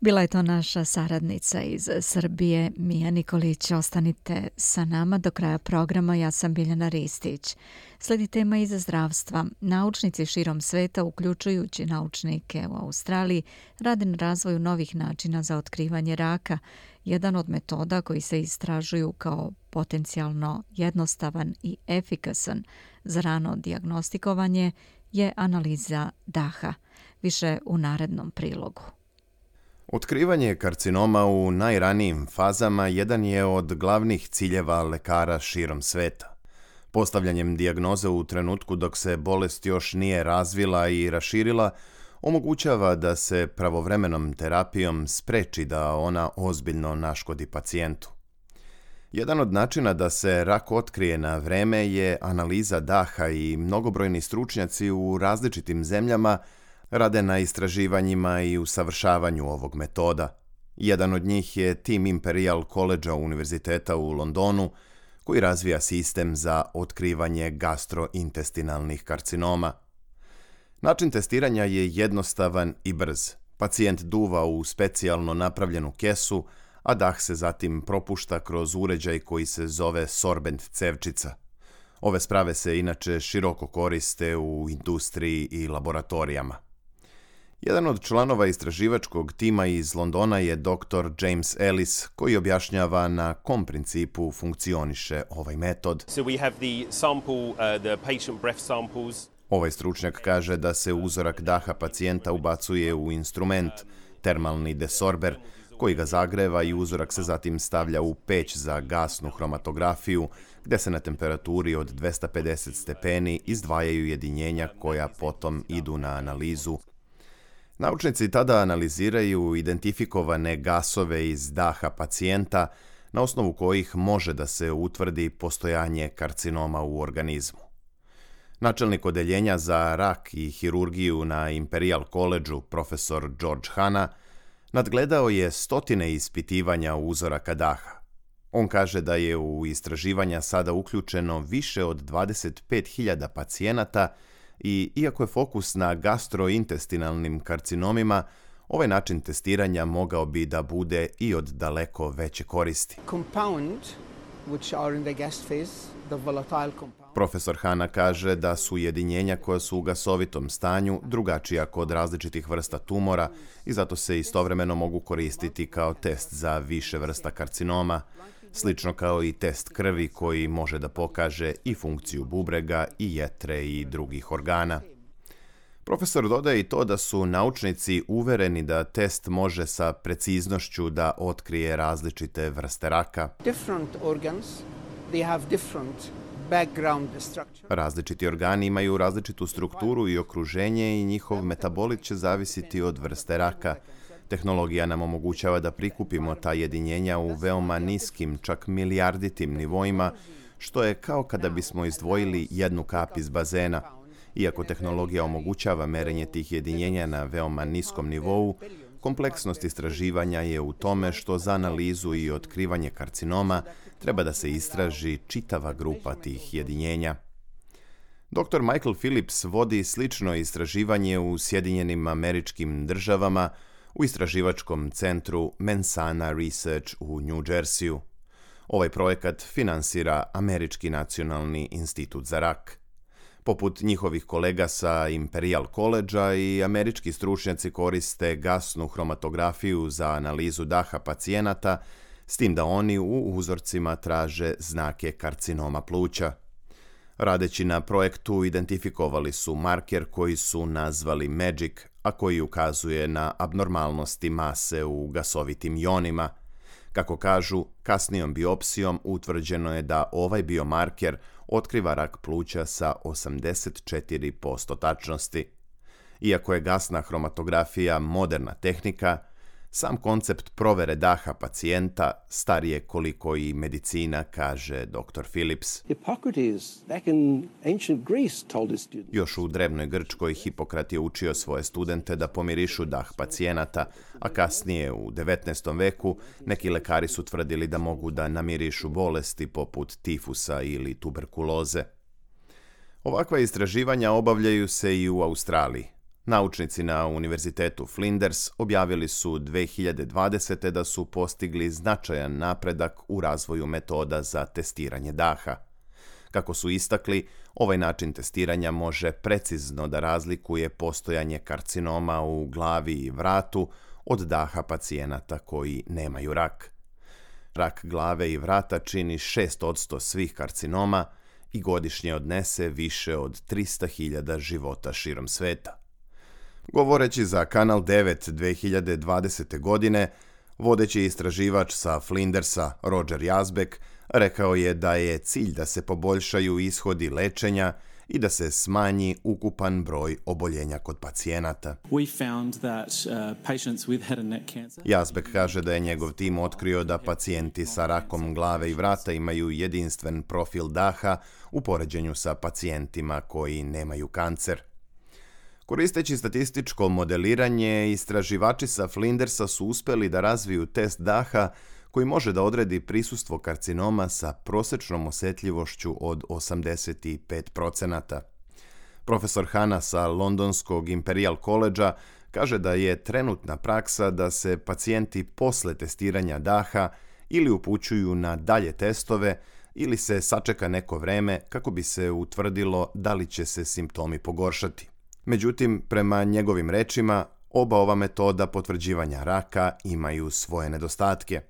Bila je to naša saradnica iz Srbije, Mija Nikolić. Ostanite sa nama do kraja programa. Ja sam Biljana Ristić. Slijedi tema iz zdravstva. Naučnici širom sveta, uključujući naučnike u Australiji, rade na razvoju novih načina za otkrivanje raka. Jedan od metoda koji se istražuju kao potencijalno jednostavan i efikasan za rano dijagnostikovanje je analiza daha. Više u narednom prilogu. Otkrivanje karcinoma u najranijim fazama jedan je od glavnih ciljeva lekara širom sveta. Postavljanjem dijagnoze u trenutku dok se bolest još nije razvila i raširila, omogućava da se pravovremenom terapijom spreči da ona ozbiljno naškodi pacijentu. Jedan od načina da se rak otkrije na vreme je analiza daha i mnogobrojni stručnjaci u različitim zemljama rade na istraživanjima i usavršavanju ovog metoda. Jedan od njih je tim Imperial College Univerziteta u Londonu, koji razvija sistem za otkrivanje gastrointestinalnih karcinoma. Način testiranja je jednostavan i brz. Pacijent duva u specijalno napravljenu kesu, a dah se zatim propušta kroz uređaj koji se zove sorbent cevčica. Ove sprave se inače široko koriste u industriji i laboratorijama. Jedan od članova istraživačkog tima iz Londona je dr. James Ellis, koji objašnjava na kom principu funkcioniše ovaj metod. Ovaj stručnjak kaže da se uzorak daha pacijenta ubacuje u instrument, termalni desorber, koji ga zagreva i uzorak se zatim stavlja u peć za gasnu hromatografiju, gde se na temperaturi od 250 stepeni izdvajaju jedinjenja koja potom idu na analizu. Naučnici tada analiziraju identifikovane gasove iz daha pacijenta, na osnovu kojih može da se utvrdi postojanje karcinoma u organizmu. Načelnik odeljenja za rak i hirurgiju na Imperial College-u, profesor George Hanna, nadgledao je stotine ispitivanja uzoraka daha. On kaže da je u istraživanja sada uključeno više od 25.000 pacijenata i iako je fokus na gastrointestinalnim karcinomima, ovaj način testiranja mogao bi da bude i od daleko veće koristi. Profesor Hanna kaže da su jedinjenja koja su u gasovitom stanju drugačija kod različitih vrsta tumora i zato se istovremeno mogu koristiti kao test za više vrsta karcinoma, slično kao i test krvi koji može da pokaže i funkciju bubrega i jetre i drugih organa. Profesor dodaje i to da su naučnici uvereni da test može sa preciznošću da otkrije različite vrste raka. Različiti organi imaju različitu strukturu i okruženje i njihov metabolit će zavisiti od vrste raka. Tehnologija nam omogućava da prikupimo ta jedinjenja u veoma niskim, čak milijarditim nivoima, što je kao kada bismo izdvojili jednu kap iz bazena. Iako tehnologija omogućava merenje tih jedinjenja na veoma niskom nivou, kompleksnost istraživanja je u tome što za analizu i otkrivanje karcinoma treba da se istraži čitava grupa tih jedinjenja. Dr. Michael Phillips vodi slično istraživanje u Sjedinjenim Američkim Državama u istraživačkom centru Mensana Research u New Jerseyu. Ovaj projekat finansira Američki nacionalni institut za rak. Poput njihovih kolega sa Imperial College-a i američki stručnjaci koriste gasnu hromatografiju za analizu daha pacijenata, s tim da oni u uzorcima traže znake karcinoma pluća. Radeći na projektu identifikovali su marker koji su nazvali MAGIC, a koji ukazuje na abnormalnosti mase u gasovitim ionima. Kako kažu, kasnijom biopsijom utvrđeno je da ovaj biomarker otkriva rak pluća sa 84% tačnosti. Iako je gasna hromatografija moderna tehnika, sam koncept provere daha pacijenta star je koliko i medicina, kaže dr. Phillips. Još u drevnoj Grčkoj Hipokrat je učio svoje studente da pomirišu dah pacijenata, a kasnije u 19. veku neki lekari su tvrdili da mogu da namirišu bolesti poput tifusa ili tuberkuloze. Ovakva istraživanja obavljaju se i u Australiji. Naučnici na Univerzitetu Flinders objavili su 2020. da su postigli značajan napredak u razvoju metoda za testiranje daha. Kako su istakli, ovaj način testiranja može precizno da razlikuje postojanje karcinoma u glavi i vratu od daha pacijenata koji nemaju rak. Rak glave i vrata čini 6% svih karcinoma i godišnje odnese više od 300.000 života širom sveta. Govoreći za Kanal 9 2020. godine, vodeći istraživač sa Flindersa, Roger Yazbek, rekao je da je cilj da se poboljšaju ishodi lečenja i da se smanji ukupan broj oboljenja kod pacijenata. Yazbek kaže da je njegov tim otkrio da pacijenti sa rakom glave i vrata imaju jedinstven profil daha u poređenju sa pacijentima koji nemaju kancer. Koristeći statističko modeliranje, istraživači sa Flindersa su uspjeli da razviju test daha koji može da odredi prisustvo karcinoma sa prosječnom osjetljivošću od 85%. Profesor Hanna sa Londonskog Imperial College-a kaže da je trenutna praksa da se pacijenti posle testiranja daha ili upućuju na dalje testove ili se sačeka neko vreme kako bi se utvrdilo da li će se simptomi pogoršati. Međutim, prema njegovim rečima, oba ova metoda potvrđivanja raka imaju svoje nedostatke.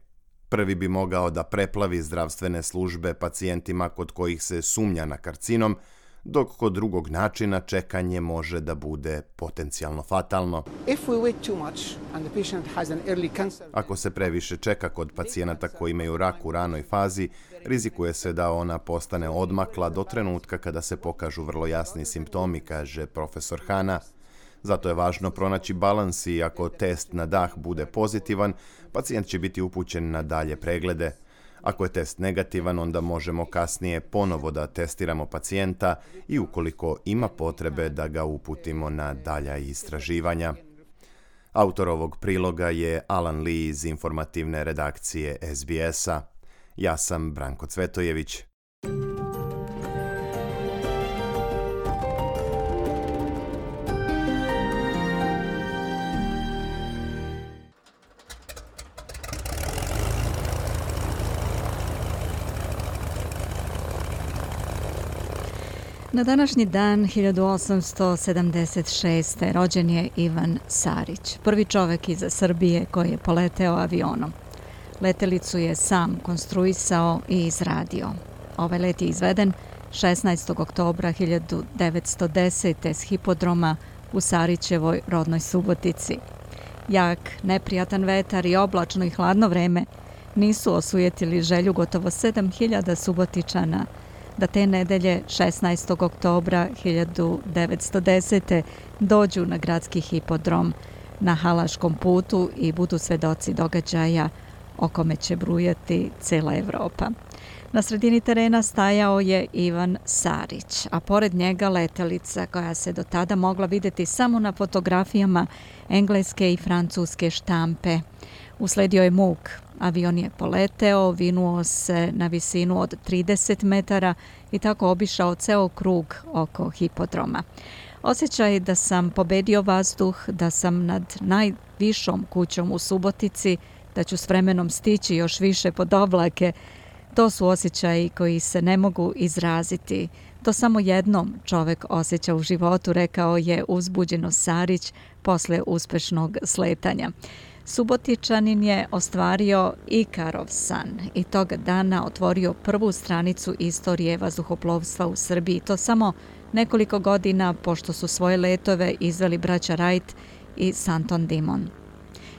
Prvi bi mogao da preplavi zdravstvene službe pacijentima kod kojih se sumnja na karcinom, dok kod drugog načina čekanje može da bude potencijalno fatalno. Ako se previše čeka kod pacijenata koji imaju rak u ranoj fazi, rizikuje se da ona postane odmakla do trenutka kada se pokažu vrlo jasni simptomi, kaže profesor Hanna. Zato je važno pronaći balans i ako test na dah bude pozitivan, pacijent će biti upućen na dalje preglede. Ako je test negativan, onda možemo kasnije ponovo da testiramo pacijenta i ukoliko ima potrebe da ga uputimo na dalja istraživanja. Autor ovog priloga je Alan Lee iz informativne redakcije SBS-a. Ja sam Branko Cvetojević. Na današnji dan 1876. rođen je Ivan Sarić, prvi čovek iz Srbije koji je poleteo avionom. Letelicu je sam konstruisao i izradio. Ovaj let je izveden 16. oktobra 1910. s hipodroma u Sarićevoj rodnoj Subotici. Jak, neprijatan vetar i oblačno i hladno vreme nisu osujetili želju gotovo 7.000 Subotičana da te nedelje 16. oktobra 1910. dođu na gradski hipodrom na Halaškom putu i budu svedoci događaja o kome će brujati cela Evropa. Na sredini terena stajao je Ivan Sarić, a pored njega letelica koja se do tada mogla vidjeti samo na fotografijama engleske i francuske štampe. Usledio je muk. Avion je poleteo, vinuo se na visinu od 30 metara i tako obišao ceo krug oko hipodroma. Osjećaj da sam pobedio vazduh, da sam nad najvišom kućom u Subotici, da ću s vremenom stići još više pod oblake, to su osjećaji koji se ne mogu izraziti. To samo jednom čovek osjeća u životu, rekao je uzbuđeno Sarić posle uspešnog sletanja. Subotičanin je ostvario Ikarov san i toga dana otvorio prvu stranicu istorije vazduhoplovstva u Srbiji. To samo nekoliko godina pošto su svoje letove izveli braća Wright i Santon Dimon.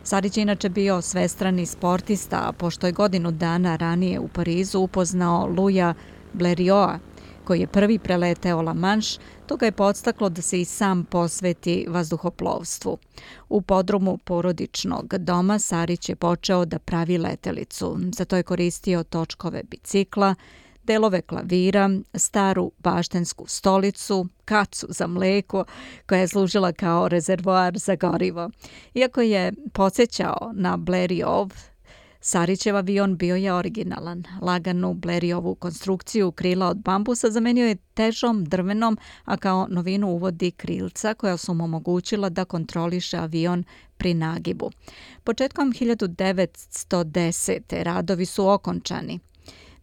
Sarić je inače bio svestrani sportista, a pošto je godinu dana ranije u Parizu upoznao Louisa Blériota, koji je prvi preleteo La Manche, to ga je podstaklo da se i sam posveti vazduhoplovstvu. U podrumu porodičnog doma Sarić je počeo da pravi letelicu. Za to je koristio točkove bicikla, delove klavira, staru baštensku stolicu, kacu za mleko koja je služila kao rezervoar za gorivo. Iako je podsjećao na Blériotov, Sarićev avion bio je originalan. Laganu Blériotovu konstrukciju krila od bambusa zamenio je težom drvenom, a kao novinu uvodi krilca koja su mu omogućila da kontroliše avion pri nagibu. Početkom 1910. radovi su okončani.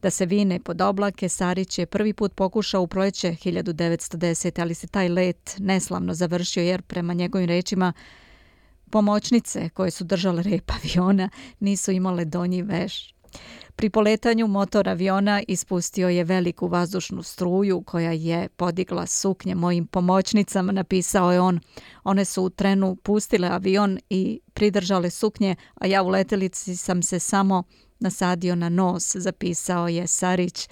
Da se vine pod oblake, Sarić je prvi put pokušao u proleće 1910. ali se taj let neslavno završio jer prema njegovim rečima pomoćnice koje su držale rep aviona nisu imale donji veš. Pri poletanju motor aviona ispustio je veliku vazdušnu struju koja je podigla suknje mojim pomoćnicama, napisao je on. One su u trenu pustile avion i pridržale suknje, a ja u letelici sam se samo nasadio na nos, zapisao je Sarić,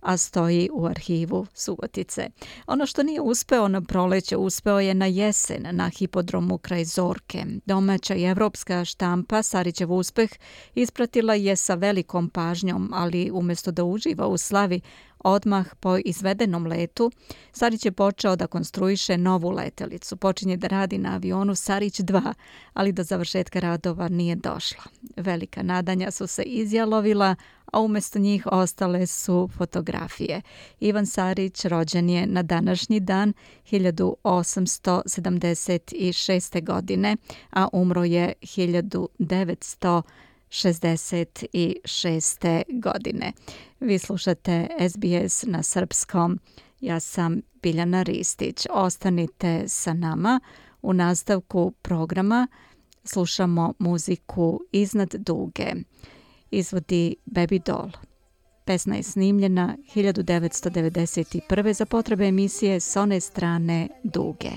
a stoji u arhivu Subotice. Ono što nije uspeo na proleće, uspeo je na jesen na hipodromu kraj Zorke. Domaća i evropska štampa Sarićev uspeh ispratila je sa velikom pažnjom, ali umjesto da uživa u slavi, odmah po izvedenom letu, Sarić je počeo da konstruiše novu letelicu. Počinje da radi na avionu Sarić 2, ali do završetka radova nije došla. Velika nadanja su se izjalovila, a umjesto njih ostale su fotografije. Ivan Sarić rođen je na današnji dan 1876. godine, a umro je 1966. godine. Vi slušate SBS na srpskom. Ja sam Biljana Ristić. Ostanite sa nama. U nastavku programa slušamo muziku Iznad duge. Izvodi Baby Doll. Pesma je snimljena 1991. za potrebe emisije S one strane duge.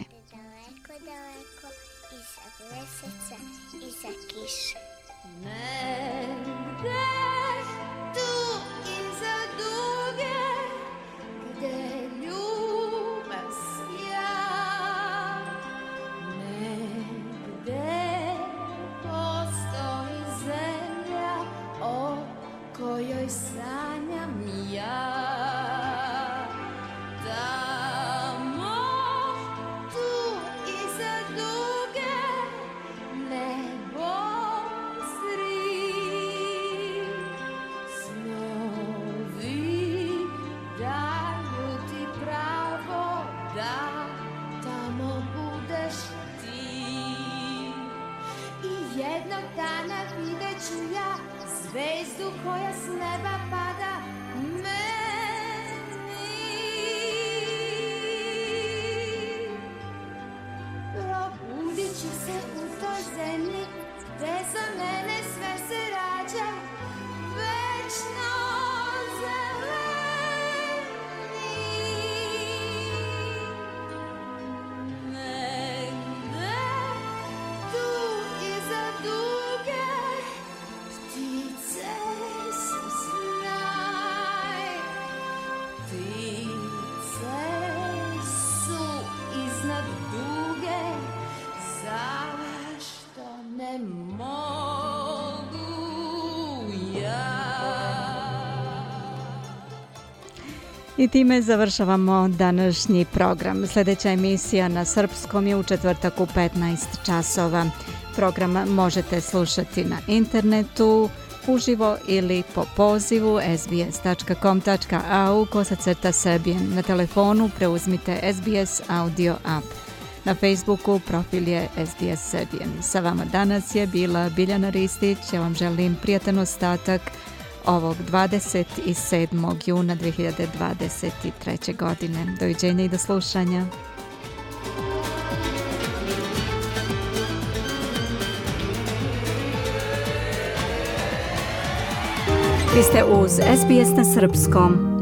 Zvezdu koja s neba pada meni. Probudit ću se u toj zemlji gde za mene sve se rađa večno zeleni. Negde tu iza duge ptice su sjaj, ptice su iznad duge, zašto ne mogu ja? I time završavamo današnji program. Sljedeća emisija na srpskom je u četvrtak u 15 časova. Program možete slušati na internetu, uživo ili po pozivu sbs.com.au/Serbian. Na telefonu preuzmite SBS Audio app. Na Facebooku profil je SBS Serbian. Sa vama danas je bila Biljana Ristić. Ja vam želim prijatan ostatak ovog 27. juna 2023. godine. Doviđenja i do slušanja. Vi ste uz SBS na srpskom.